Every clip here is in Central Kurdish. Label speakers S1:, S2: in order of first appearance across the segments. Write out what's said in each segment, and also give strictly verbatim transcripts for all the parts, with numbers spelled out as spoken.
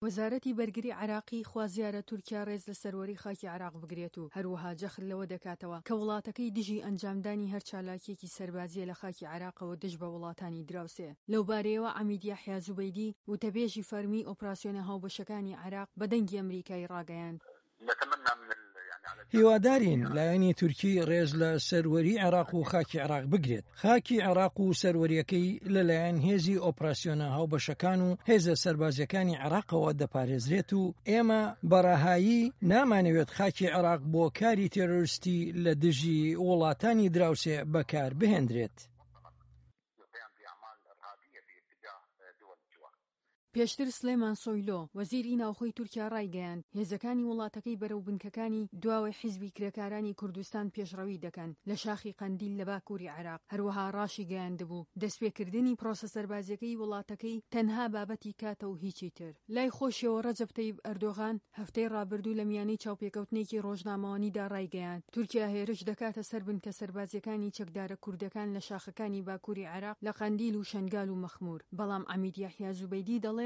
S1: وەزارەتی بەرگری عێراقی خوازیارە تورکیا رێز لە سەروەری خاکی عێراق بگرێت و هەروەها جەخت لەوە دەکاتەوە کە وڵاتەکەی دژی ئەنجامدانی هەر چالاکییەکی سەربازییە لە خاکی عێراقەوە دژ بە وڵاتانی دراوسێ. لەوبارەیەوە عەمید یەحیا زوبەیدی، وتەبێژی فەرمیی ئۆپراسیۆنە هاوبەشەکانی عێراق بە دەنگی ئەمریکای راگەیاند،
S2: هیوادارین لایەنی تورکی ڕێز لە سەروەری عێراق و خاکی عێراق بگرێت. خاکی عێراق و سەروەرییەکەی لەلایەن هێزی ئۆپراسیۆنە هاوبەشەکان و هێزە سەربازییەکانی عێراقەوە دەپارێزرێت و ئێمە بە ڕەهایی نامانەوێت خاکی عێراق بۆ کاری تێرۆریستی لە دژی وڵاتانی دراوسێ بەکار بهێندرێت.
S1: پێشتر سلێمان سۆیلۆ، وەزیری ناوخۆی تورکیا رایگەیاند، هێزەکانی وڵاتەکەی بەرەو بنکەکانی دواوەی حیزبی کرێکارانی کوردستان پێشڕەوی دەکەن لە شاخی قەندیل لە باکووری عێراق، هەروەها راشیگەیاندبوو، دەستپێکردنی پرۆسە سەربازییەکەی وڵاتەکەی تەنها بابەتی کاتە و هیچی تر. لای خۆشیەوە رەجەب تەیب ئەردۆغان، هەفتەی ڕابردوو لە میانەی چاوپێکەوتنێکی ڕۆژنامەوانیدا ڕایگەیاند، تورکیا هێرش دەکاتە سەر بنکە سەربازییەکانی چەکدارە کوردەکان لە شاخەکانی باکووری عێراق لە قەندیل و شەنگال و مەخموور، بەڵام عەمید یەحیا زوبەیدی دەڵێت،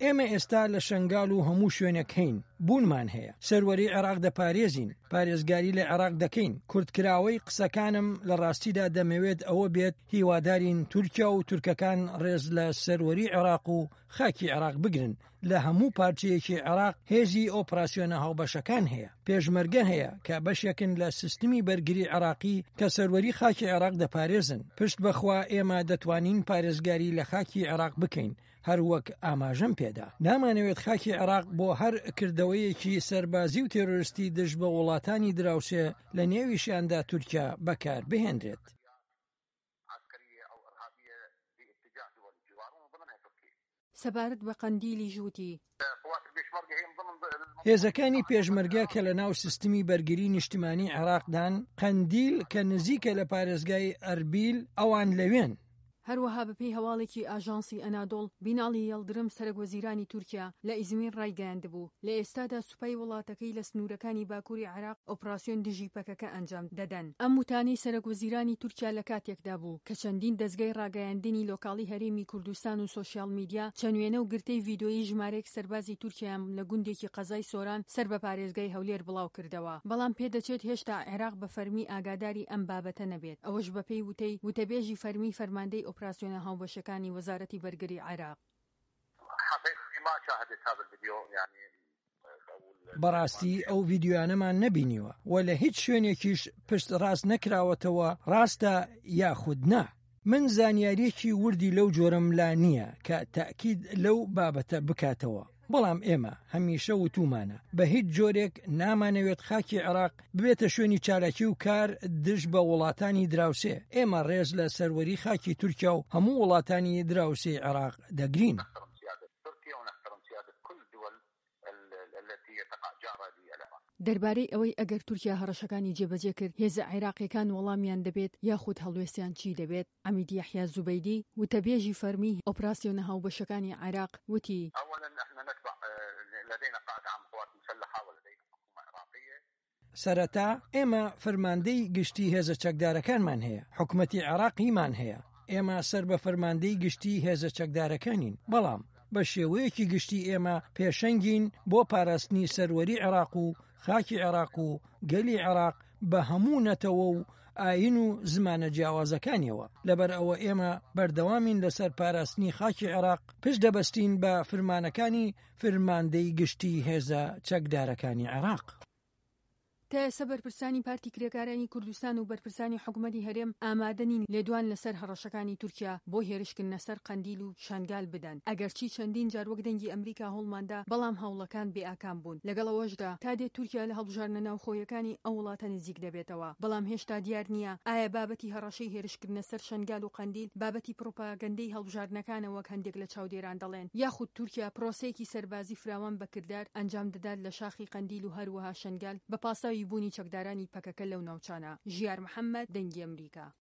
S2: ئێمە ئێستا لە شەنگال و هەموو شوێنێک هەین، بوونمان هەیە، سەروەری عێراق دەپارێزین، پارێزگاری لە عێراق دەکەین، کورتکراوەی قسەکانم لە ڕاستیدا دەمەوێت ئەوە بێت هیوادارین تورکیا و تورکەکان ڕێز لە سەروەری عێراق و خاکی عێراق بگرن، لە هەموو پارچەیەکی عێراق هێزی ئۆپراسیۆنە هاوبەشەکان هەیە، پێشمەرگە هەیە کە بەشێکن لە سیستمی بەرگری عێراقی کە سەروەری خاکی عێراق دەپارێزن، پشت بەخوا ئێمە دەتوانین پارێزگاری لە خاکی عێراق بکەین، هەر وەک ئاماژەم پێدا نامانەوێت خاکی عێراق بۆ هەر کردەوەیەکی سەربازی و تێرۆریستی دژ بە وڵاتانی دراوسێ لە نێویشیاندا تورکیا بەکار بهێنرێت.
S1: سەبارەت بە قەندیلیش وتی.
S2: هێزەکانی پێشمەرگە کە لە ناو سیستمی بەرگری نیشتمانی عێراقدان، قەندیل کە نزیکە لە پارێزگای ئەربیل، ئەوان لەوێن.
S1: هەروەها بەپێی هەواڵێکی ئاژانسی ئەنادۆڵ، بیناڵی یەڵدرم سەرەک وەزیرانی تورکیا لە ئیزمیر ڕایگەیاندبوو، لە ئێستادا سوپای وڵاتەکەی لە سنوورەکانی باکووری عێراق ئۆپراسیۆن دژی پەکەکە ئەنجام دەدەن. ئەم وتانەی سەرەک وەزیرانی تورکیا لە کاتێکدا بوو، کە چەندین دەزگای ڕاگەیاندنی لۆکاڵی هەرێمی کوردستان و سۆشیاڵ میدیا چەند وێنە و گرتەی ڤیدۆیی ژمارەیەک سەربازی تورکیایان لە گوندێکی قەزای سۆران سەر بە پارێزگای هەولێر بڵاوکردەوە، بەڵام پێدەچێت هێشتا عێراق بە فەرمی ئاگاداری ئەم بابەتە نەبێت، ئەوەش بەپێی وتەی وتەبێژی فەرمیی فەرماندەی ئۆپراسیۆنە هاوبەشەکانی وەزارەتی بەرگری عێراق.
S2: بەڕاستی ئەو ڤیدیۆیانەمان نەبینیوە و لە هیچ شوێنێکیش پشت ڕاست نەکراوەتەوە ڕاستە یاخود نا. من زانیارییەکی وردی لەو جۆرەم لا نییە کە تەئکید لەو بابەتە بکاتەوە، بەڵام ئێمە هەمیشە وتوومانە بە هیچ جۆرێک نامانەوێت خاکی عێراق ببێتە شوێنی چالاکی و کار دژ بە وڵاتانی دراوسێ، ئێمە ڕێز لە سەروەری خاکی تورکیا و هەموو وڵاتانی دراوسێی عێراق دەگرین.
S1: دەربارەی ئەوەی ئەگەر تورکیا هەڕەشەکانی جێبەجێ کرد، هێزە عێراقییەکان وەڵامیان دەبێت یاخود هەڵوێستیان چی دەبێت، عەمید یەحیا زوبەیدی، وتەبێژی فەرمیی ئۆپراسیۆنە هاوبەشەکانی عێراق، وتی،
S2: سەرەتا ئێمە فەرماندەی گشتی هێزە چەکدارەکانمان هەیە، حکومەتی عێراقیمان هەیە، ئێمە سەر بە فەرماندەی گشتی هێزە چەکدارەکانین، بەڵام بە شێوەیەکی گشتی ئێمە پێشەنگین بۆ پاراستنی سەروەری عێراق و خاکی عێراق و گەلی عێراق بە هەموو نەتەوە و ئایین و زمانە جیاوازەکانیەوە، لەبەر ئەوە ئێمە بەردەوامین لەسەر پاراستنی خاکی عێراق، پشت دەبەستین بە فرمانەکانی فرماندەی گشتی هێزە چەکدارەکانی عێراق.
S1: تا ئێستا بەرپرسانی پارتی کرێکارانی کوردستان و بەرپرسانی حکومەتی هەرێم ئامادە نین لێدوان لەسەر هەڕەشەکانی تورکیا بۆ هێرشکردنە سەر قەندیل و شەنگال بدەن، ئەگەرچی چەندین جار وەک دەنگی ئەمریکا هەوڵماندا بەڵام هەوڵەکان بێ ئاکام بوون، لەگەڵ ئەوەشدا تا دێت تورکیا لە هەڵبژاردنە ناوخۆیەکانی ئەو وڵاتە نزیک دەبێتەوە، بەڵام هێشتا دیار نییە ئایا بابەتی هەڕەشەی هێرشکردنە سەر شەنگال و قەندیل بابەتی پڕوپاگەندەی هەڵبژاردنەکانە وەک هەندێک لە چاودێران دەڵێن یاخود تورکیا پرۆسەیەکی سەربازی فراوان بە کردار ئەنجام دەدات لە شاخی قەندیل و هەروەها شەنگال بە پاساوی بوونی چەکدارانی پەکەکە لەو ناوچانە. ژیار محەمەد، دەنگی ئەمریکا.